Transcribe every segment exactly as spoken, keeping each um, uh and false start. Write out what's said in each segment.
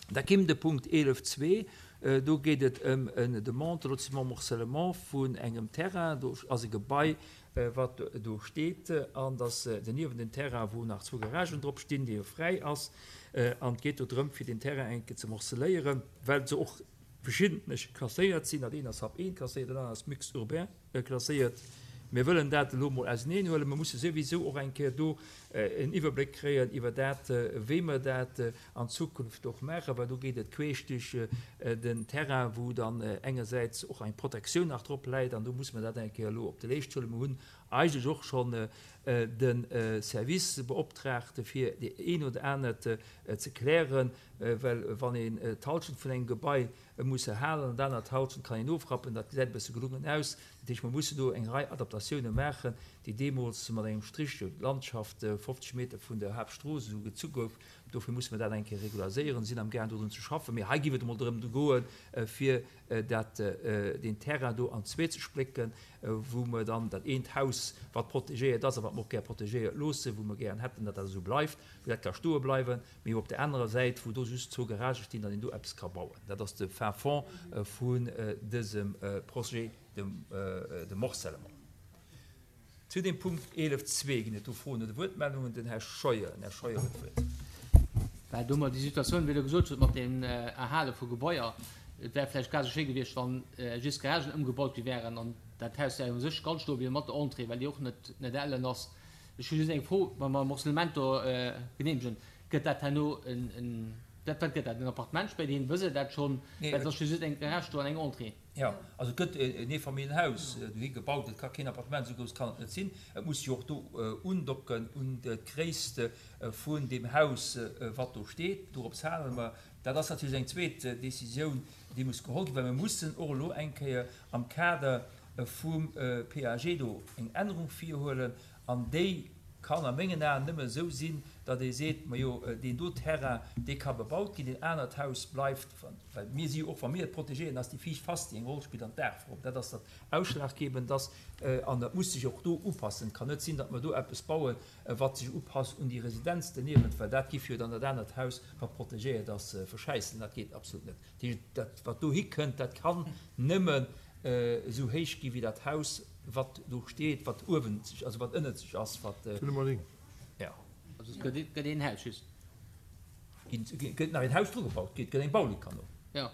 Da kéim de Punkt eelef zwee, do geet et ëm en Demande de lotissement morcellement vun engem Terrain. Do ass e Gebai, wat do steet, an dat ass doniewent en Terrain, wou nach zwou Garagen drop stinn, dee jo fräi ass. An et geet do drëm, fir deen Terrain eng Kéier ze morceléieren, well se och verschiddentlech klasséiert sinn. Dat eent ass Hab eent klasséiert, dat anert ass Mixte urbain klasséiert. Mir wëllen dat elo mol auseneen huelen. Mir musse souwisou och eng Kéier do en Iwwerbléck kréien iwwer dat, wéi mer dat an Zukunft och maachen, well do geet et queesch duerch den Terrain, wou dann engersäits och eng Protektioun nach drop läit, an do musse mer dat eng Kéier elo op de Leescht huelen. Mir hunn eigentlech och schonn de Service beoptraagt, fir déi een oder anert ze klären, well wann een d'Halschent vun engem Gebai muss erhalen an d'anert Halschent kann een ofrappen, dat gesäit e bësse gelungen aus. Dat heescht, mer mussen do eng Rei Adaptatioune maachen, déi deemools mat engem Strich duerch d'Landschaft fofzeg Meter vun der Haaptstrooss esou gezu gouf. Dofir musse mer dat eng Kéier regulariséieren, sinn amgaang dodrun ze schaffen. Mee hei géif et emol drëm goen, fir dat, deen Terrain do an zwee ze splécken, wou mer dann dat eent Haus, wat protegéiert ass a wat mer och gär protegéiert loossen, wou mer gären hätten, datt dat esou bleift, wou dat ka stoe bleiwen, mee op der anerer Säit, wou do just zwou Garagë stinn, datt een do eppes ka bauen. Dat ass de fin fond vun dësem Projet de morcellement. Zu dem Punkt eelef zwee ginn et do Froen oder Wuertmeldungen. Den Här Scheuer. Den Här Scheuer huet d'Wuert. Well do mer déi Situatioun, wéi Der gesot hutt, mat dem Erhale vu Gebaier, et wär vläicht grad esou schéi gewiescht, wa just Garagen ëmgebaut gi wären an dat Haus wär u sech ganz stoe bliwwen mat der Entrée, well déi och net net ellen ass. Ech hu just eng Fro, Wa mer Morcellement do geneemegen, gëtt dat herno en, en, wat, wat gëtt dat, en Appartement spéiderhin? Wësst Der dat schonn? Well et ass jo just eng Garage do an eng Entrée. Jo, also et gëtt en Eefamilljenhaus dohi gebaut. Et ka keen Appartement, esou grouss kann et net sinn. Et muss jo och do undocken un d'Gréisst vun deem Haus, wat do steet. Dorops hale mer. Dat ass natierlech eng zweet Décisioun, déi muss geholl ginn, well mir mussen och elo eng Kéier am Kader vum P A G do eng Ännerung virhuelen, an déi kann a mengen Aen nëmme esou sinn, datt ee seet, majo, deen do Terrain, dee ka bebaut ginn, deen anert Haus bleift, well mir si jo och, wa mir et protegéieren, ass déi viischt Face, déi eng Roll spillt, an d'Daachform, dat ass dat Ausschlaggebend ass, an dat muss sech och do upassen. Et kann net sinn, datt mer do eppes bauen, wat sech upasst un déi Residenz doniewent, well dat giff jo dann dat anert Haus, wat protegéiert ass, verschäissen. Dat geet absolut net. Dat heescht, dat wat dohi kënnt, dat kann nëmmen esou héich gi wéi dat Haus, wat do steet, wat uewen sech, also wat ënnert sech ass, wat. D'Willemerding. Ja. Also et gëtt, gëtt een Haus just. Ginn, gëtt nach een Haus dru gebaut, gëtt eng Baulikanno. Ja.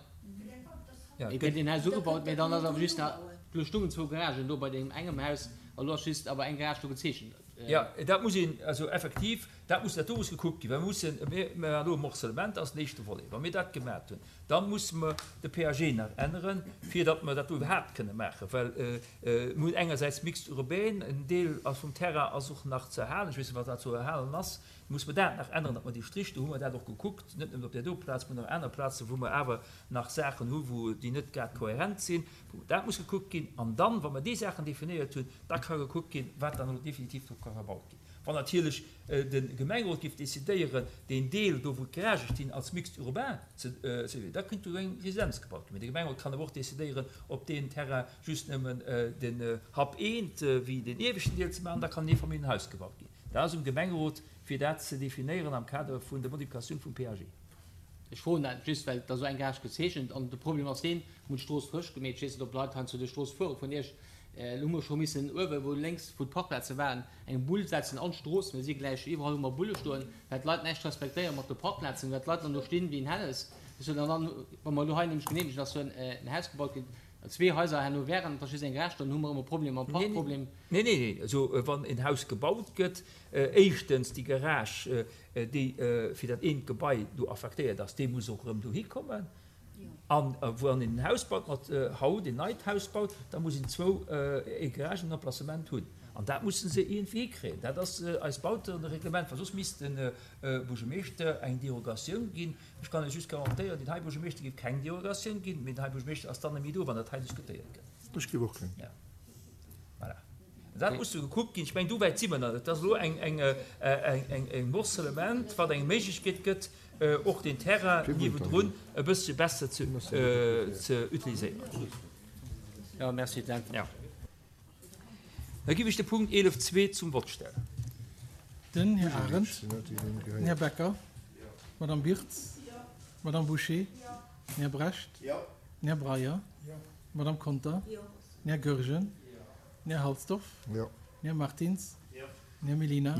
Ja, Et gëtt een Haus ugebaut, mä dann ass awer just nach, do stungen zwou Garagen do bei deem engem Haus, a lo ass just awer eng Garage do gezeechent. Ja, dat muss een, also effektiv, dat muss, dat do muss gekuckt ginn, well mir mussen, mir maachen elo e Morcellement, dat ass den éischte Volet. Wa mir dat gemaat hunn, da musse mer de P A G nach änneren, fir datt mer dat do iwwerhaapt kënne maachen, well mir hunn engersäits Mixte urbain, en Deel ass vum Terrain ass och nach ze erhalen, ech weess net, wat dat ze erhalen ass, musse mer dat nach änneren, datt mer déi Strich, do hu mer dat och gekuckt, net nëmmen op där do Plaz, mer hunn och aner Plazen, wou mer awer nach Saachen hu wou déi net grad kohärent sinn, wou dat muss gekuckt ginn. An dann, wa mer déi Saachen definéiert hunn, da ka gekuckt ginn, wat dann elo definitiv do ka gebaut ginn. Wann natierlech de Gemengerot géif decidéieren, deen Deel do, wou d'Garagë stinn, als Mixte urbain ze, da kënnt do eng Residenz gebaut ginn. Mee de Gemengerot kann awer och decidéieren, op deen Terrain just nëmmen den Hab eent wéi den ieweschten Deel ze maachen, da kann en Eefamilljenhaus gebaut ginn. Dat ass um Gemengerot, fir dat ze definéieren am Kader vun der Modifikatioun vum P A G. Ech froen dat just, well et ass esou eng Garage gezeechent an de Problem ass deen, mir hunn d'Strooss frësch gemeet, ech weess net, ob Leit heiansdo duerch d'Strooss fuere vun Iech, elo hu mer scho missen uewe wou lénks wou d'Parkplaze waren, eng Bull setzen an d'Strooss, mir si gläich iwwerall hu mer Bulle stoen, well d'Leit näischt respektéiere mat de Parkplazen, well d'Leit dann do stinn wéi en Hännes. Ech soen dann, wa mer elo hei nämlech geneemegen, dass do en Haus gebaut gëtt, zwee Haiser herno wären, et ass just eng Garage, dann hu mer ëmmer Problemer mam Parkproblem. Nee, nee, nee, also wann en Haus gebaut gëtt, éischtens déi Garage, déi fir dat eent Gebai do affektéiert ass, déi muss och erëm dohi kommen. An wann een en Haus baut, mat haut een neit Haus baut, da muss een zwou Garagen en Emplacement hunn. An dat musse se iergendwéi hikréien. Dat ass eist Bautereglement, well soss misst de Buergermeeschter eng Derogatioun ginn. Ech kann lech just garantéieren, deen hei Buergermeeschter géif keng Derogatioun ginn, mee den hei Buergermeeschter ass dann net méi do, wann dat hei diskutéiert gëtt. Ech géif och keng. Ja. Voilà. Dat muss do gekuckt ginn. Ech mengen, do wäit si mer nach net. Dat ass elo eng, eng, eng, eng Morcellement, wat eng Méiglechkeet gëtt, och den Terrain niewendrun e bëssche besser ze, ze utiliséieren. Ja, merci. Ja. Da giff ech de Punkt eelef zwee zum Vott stellen. Den Här Arendt, den Här Becker, d'Madame Birtz, Madame Boucher? Den Här Brecht? Den Här Breyer? Madame Conter? Den Här Goergen? Den Här Halsdorf? Den Här Martins? Den Här Mellina?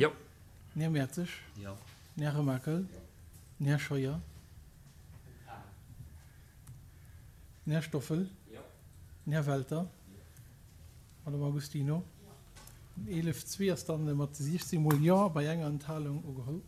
Den Här Mertzig? Den Här Remakel? Den Här Scheuer? Den Här Stoffel? Den Här Welter? Madame Agostino? Den eelef zwee ass dann mat siechzéng mol Jo bei enger Enthalung ugeholl.